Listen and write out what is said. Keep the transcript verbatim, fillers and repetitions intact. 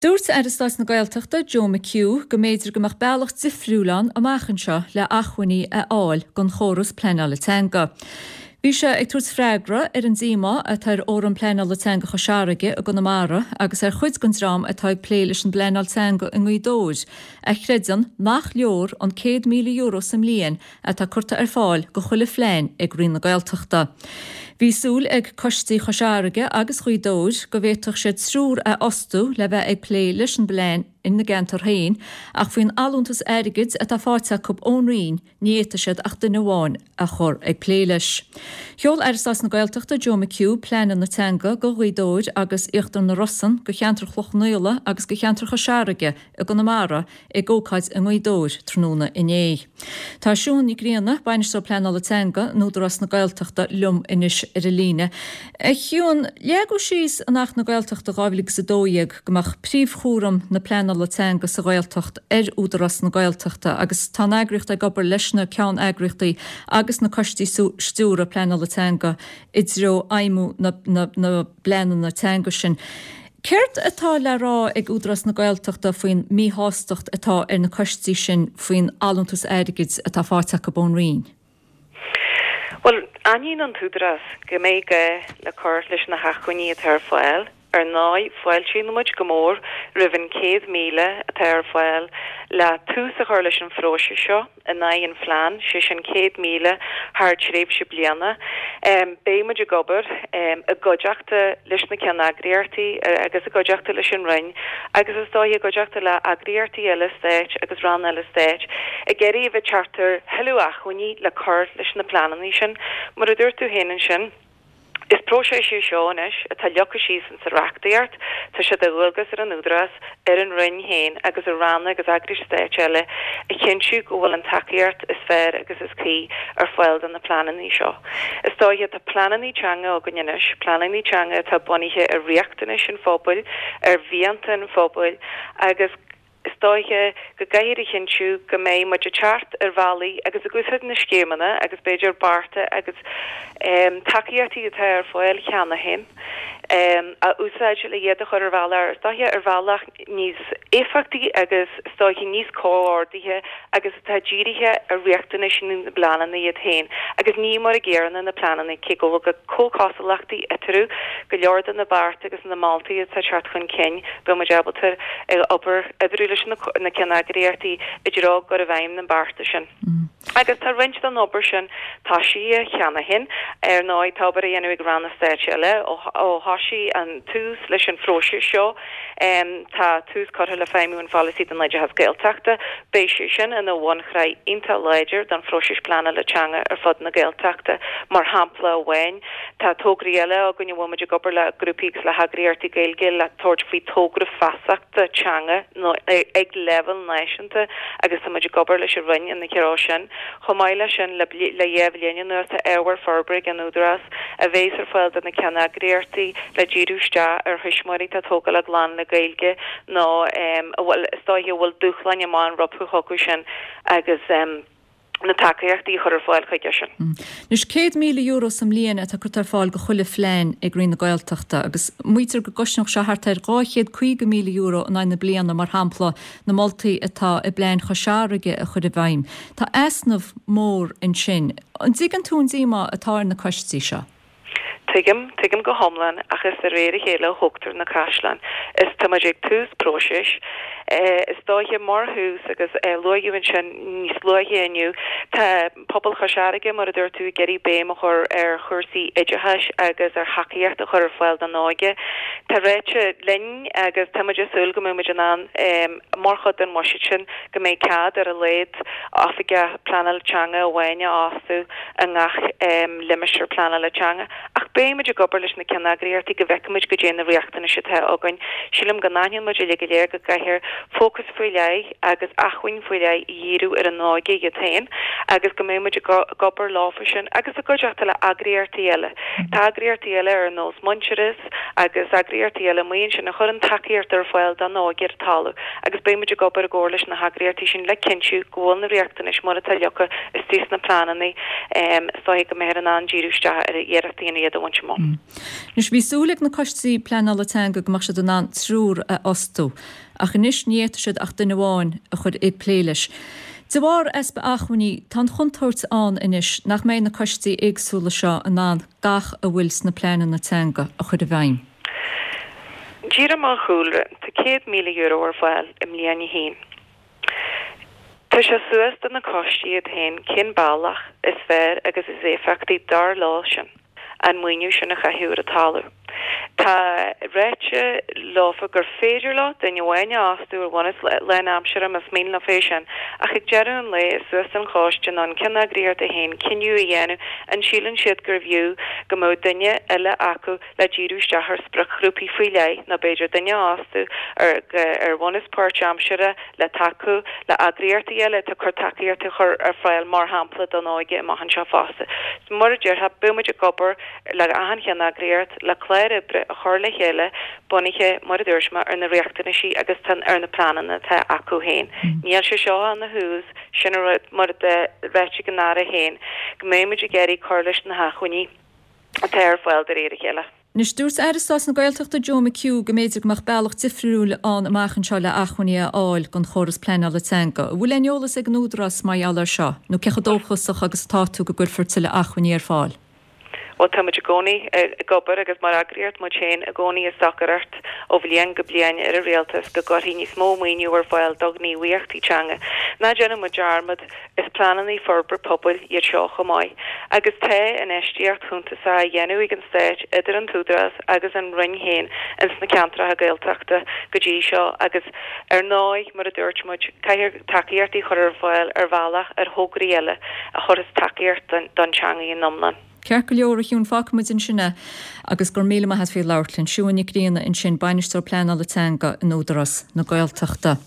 Dúirt Aire Stáit na Gaeltachta Joe McHugh go mb'fhéidir go mbeadh bealach difriúil ann amach anseo le hacmhainní a fháil don chóras pleanála teanga. Bhí sé ag tabhairt freagra ar an díomá atá ar Fhóram Pleanála Teanga Chois Fharraige i gConamara agus ar chuid den dream atá ag plé leis an bpleanáil teanga i nGaoth Dobhair, a chreideann nach leor an céad míle euro sa mbliain atá curtha ar fáil go chuile phlean ag Roinn na Gaeltachta. Bhí súil ag coistí Chois Fharraige agus Ghaoth Dobhair go bhféadfadh siad triúr a fhostú le bheith ag plé leis an bplean ina gceantar féin, ach faoin allúntas airgid atá faighte acu ón Roinn ní fhéadfaidh siad ach duine amháin a chur ag plé leis. Sheol Aire Stáit na Gaeltachta Joe McHugh pleananna teanga go Ghaoth Dobhair agus Íochtar na Rosann go cheantar Chloich Cheann Fhaola agus go cheantar Chois Fharraige i gConamara ag ócáid i nGaoth Dobhair tráthnóna inné. Tá Siún Ní Grianna, Bainisteoir Pleanála Teanga in Údarás na Gaeltachta liom anois ar an líne. A Shiún, leagadh síos in Acht na Gaeltachta dhá mhíle agus a dó dhéag go mbeadh príomhchúram na pleanála teanga sa Ghaeltacht ar Údarás na Gaeltachta agus tá an eagraíocht ag obair leis na ceanneagraíochtaí agus na coistí stiúrtha pleanála teanga i dtreo fheidhmiú na na bpleananna teanga sin. Céard atá le rá ag Údarás na Gaeltachta faoin míshástacht atá ar na coistí sin faoin allúntas airgid atá faighte acu ón Roinn? Bhuel, aithníonn an tÚdarás go mbeidh gá le cur leis na hacmhainní atá ar fáil. Ar ndóigh, fáiltíonn muid go mór roimh an céad míle atá ar fáil le tús a chur leis an phróiseas seo in aghaidh an phlean, sé sin céad míle thar tréimhse bliana. Beidh muid ag obair i gcuideachta leis na ceanneagraíochtaí agus i gcuideachta leis an Roinn agus is dóiche i gcuideachta le heagraíochtaí eile stáit agus ranna eile stáit ag iarraidh a bheith ag teacht ar thuilleadh acmhainní le cur leis na pleananna sin. Mar a dúirt tú féin ansin, is próiseas é seo anois atá leagtha síos insa reachtaíocht, tá sé de dhualgas ar an Údarás, ar an Roinn féin agus ar ranna agus eagrais stáit eile a chinntiú go bhfuil an tacaíocht is fearr agus is cuí ar fáil do na pleananna seo. Is dóiche tá pleananna teanga againn anois, pleananna teanga atá bunaithe ar riachtanais an phobail, ar mhianta an phobail agus is dóiche go gcaithfear a chinntiú go mbeidh muid ag teacht ar bhealaí agus ag úsáid na scéimeanna agus b'fhéidir bearta agus tacaíochtaí atá ar fáil cheana féin a úsáid le iad a chur ar bhealach, is dóiche ar bhealach níos éifeachtaí agus is dóiche níos comhordaithe agus atá dírithe ar riachtanais na bpleananna iad féin agus ní mar a gcéanna na pleananna cé go bhfuil comhchosúlachtaí eatarthu go leor de na bearta agus na moltaí atá ag teacht chun cinn beidh muid ábalta obair oibriú leis na ceanneagraíochtaí i dtreo cur i bhfeidhm na mbearta sin. Agus tá roinnt den obair sin tosaithe cheana féin. Ar ndóigh, tá obair á dhéanamh ag ranna stáit eile ó thosaigh an tús leis an phróiseas seo. Tá tús curtha le feidhmiú an pholasaí don oideachas Gaeltachta. Beidh sé sin ina bhunshraith iontach láidir don phróiseas pleanála teanga ar fud na Gaeltachta. Mar shampla amháin, tá tograí eile againn a bhfuil muid ag obair le grúpaí agus le heagraíochtaí Gaeilge le tabhairt faoi togra feasachta teanga ag leibhéal náisiúnta agus tá muid ag obair leis an Roinn ina threo sin. Chomh maith leis sin, le dhá bhliain anuas tá ábhar forbartha ag an Údarás a bheas ar fáil do na ceanneagraíochtaí le díriú isteach ar thuismitheoirí atá ag tógáil a gclann le Gaeilge nó a bhfuil, is dóiche, a bhfuil dúshláin amach rompu chucu sin agus na tacaíochtaí a chur ar fáil chuige sin. Anois, céad míle euro sa mbliain atá curtha ar fáil go chuile phlean ag Roinn na Gaeltachta agus maítear go gcosnódh sé thart ar dhá chéad caoga míle euro in aghaidh na bliana, mar shampla, na moltaí atá i bplean Chois Fharraige a chur i bhfeidhm. Tá easnamh mór ansin. An dtuigeann tú an díomá atá ar na coistí seo? Tuigim, tuigim go hiomlán, ach is de réir a chéile a thógtar na caisleáin. Is tá muid ag tús próisis. Is dóiche mar thús, agus luaíodh ansin níos luaithe inniu, tá pobal Chois Fharraige, mar a dúirt tú, ag iarraidh béim a chur ar chúrsaí oideachais agus ar thacaíocht a chur ar fáil don óige. Tá ráite linn agus tá muid ag súil go mbeidh muid in ann, mar chuid den bhuiséad sin, go mbeidh cead ar a laghad oifigeach pleanála teanga amháin a fhostú i ngach limistéar pleanála teanga. Ach beidh muid ag obair leis na ceanneagraíochtaí go bhfeicfidh muid goidé na riachtanais atá againn. Sílim go n-aithníonn muid uilig go léir go gcaithfear fócas faoi leith agus acmhainn faoi leith a dhíriú ar an óige iad féin agus go mbeidh muid ag obair leofa sin agus i gcuideachta le heagraíochtaí eile. Tá eagraíochtaí eile ar nós Muintearas agus eagraíochtaí eile amuigh ansin a chuireann tacaíocht ar fáil don óige ar talamh agus beidh muid ag obair i gcomhar leis na heagraíochtaí sin le cinntiú go bhfuil na riachtanais mar atá leagtha istigh sna pleananna is dóiche go mbeifear in ann díriú isteach ar iarrachtaí iad a bhaint bhaint amach. Anois bhí súil ag na coistí pleanála teanga go mbeadh siad in ann triúr a fhostú, ach anois ní fhéadfaidh siad ach duine amháin a chur ag plé leis. De bharr easpa acmhainní, tá an chontúirt ann anois nach mbeidh na coistí éagsúla seo in ann gach a bhfuil sna pleananna teanga a chur i bhfeidhm. Díreach mar chúlra, tá céad míle euro ar fáil i mbliain a haon. Tá sé suas do na coistí iad féin cén bealach is fearr agus is éifeachtaí dar leo sin an maoiniú sin a chaitheamh ar an talamh. Tá ráite leofa gur féidir leo duine amháin a fhostú ar bhunús lánaimseartha más mian leo é sin, ach ag deireadh an lae is suas don choiste nó an ceanneagraíocht é féin cinneadh a dhéanamh an síleann siad gurbh fhiú go mbeadh duine eile acu le díriú isteach ar spriocghrúpaí faoi leith nó b'fhéidir duine a fhostú ar ar bhunús páirtaimseartha le tacú le heagraíochtaí eile atá ag cur tacaíocht a chur ar fáil mar shampla don óige amach anseo fosta. Mar a déarfá, beidh muid ag obair le achan cheanneagraíocht le clár oibre a chur le chéile bunaithe, mar a dúirt mé, ar na riachtanaisí agus ar na pleananna atá acu féin. Níl sé seo ina thús, sin an rud, mar a ráite ag an Aire féin, go mbeidh muid ag iarraidh cur leis na hacmhainní atá ar fáil de réir a chéile. Anois, dúirt Aire Stáit na Gaeltachta Joe McHugh go mb'fhéidir go mbeadh bealach difriúil ann amach anseo le acmhainní a fháil don chóras pleanála teanga. An bhfuil aon eolas ag an Údarás mar gheall air seo, nó cé chomh dóchasach agus atá tú go gcuirfear tuilleadh acmhainní ar fáil? Bhuel, tá muid i gcónaí ag obair agus mar eagraíocht muid féin i gcónaí ag stocaireacht ó bhliain go bliain ar an rialtas go gcuirfí níos mó maoiniú ar fáil do ghníomhaíochtaí teanga. Ná déanadh muid dearmad, is pleananna forbartha pobail iad seo chomh maith. Agus tá infheistíocht shuntasach á dhéanamh ag an Stát idir an tÚdarás agus an Roinn féin ins na ceantracha Gaeltachta go dtí seo agus ar ndóigh, mar a dúirt muid, caithfear tacaíochtaí a chur ar fáil ar bhealach ar thograí eile a chuirfeas tacaíocht don teanga in iomlán. Ceart go leor, a Shiún, fágfaidh muid ansin é agus go raibh míle maith agat faoi labhairt linn. Siún Nic Grianna ansin, Bainisteoir Pleanála Teanga in Údarás na Gaeltachta.